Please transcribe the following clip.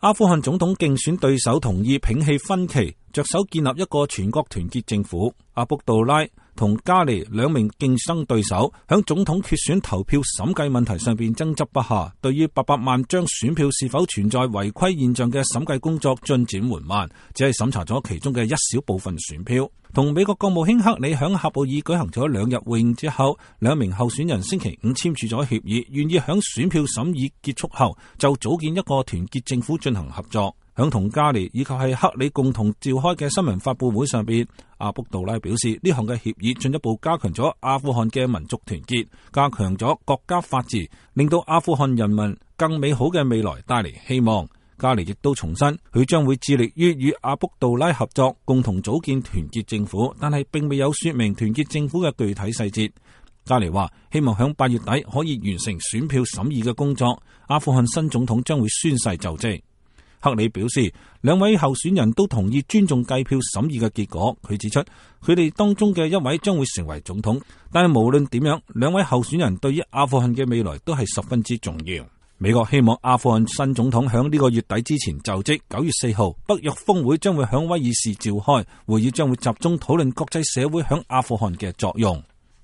阿富汗總統競選對手同意摒棄分歧，着手建立一個全國團結政府。阿卜杜拉同加尼兩名競爭對手響總統決選投票審計問題上邊爭執不下，對於800萬張選票是否存在違規現象嘅審計工作進展緩慢，只係審查咗其中嘅一小部分選票。同美國國務卿克里響喀布爾舉行咗2日會議之後，兩名候選人星期五簽署咗協議，願意響選票審議結束後就組建一個團結政府進行合作。響同加尼以及係克里共同召開嘅新聞發佈會上邊，阿卜杜拉表示呢項嘅協議進一步加強咗阿富汗嘅民族團結，加強咗國家法治，令到阿富汗人民更美好嘅未來帶嚟希望。加尼亦都重申，佢將會致力於與阿卜杜拉合作，共同組建團結政府，但係並未有說明團結政府嘅具體細節。加尼話希望響8月底可以完成選票審議嘅工作，阿富汗新總統將會宣誓就職。克里表示，兩位候選人都同意尊重計票審議嘅結果。佢指出，佢哋當中嘅一位將會成為總統，但係無論點樣，兩位候選人對於阿富汗嘅未來都係十分之重要。美國希望阿富汗新總統響呢個月底之前就職。9月4號，北約峰會將會響威爾士召開，會議將會集中討論國際社會響阿富汗嘅作用。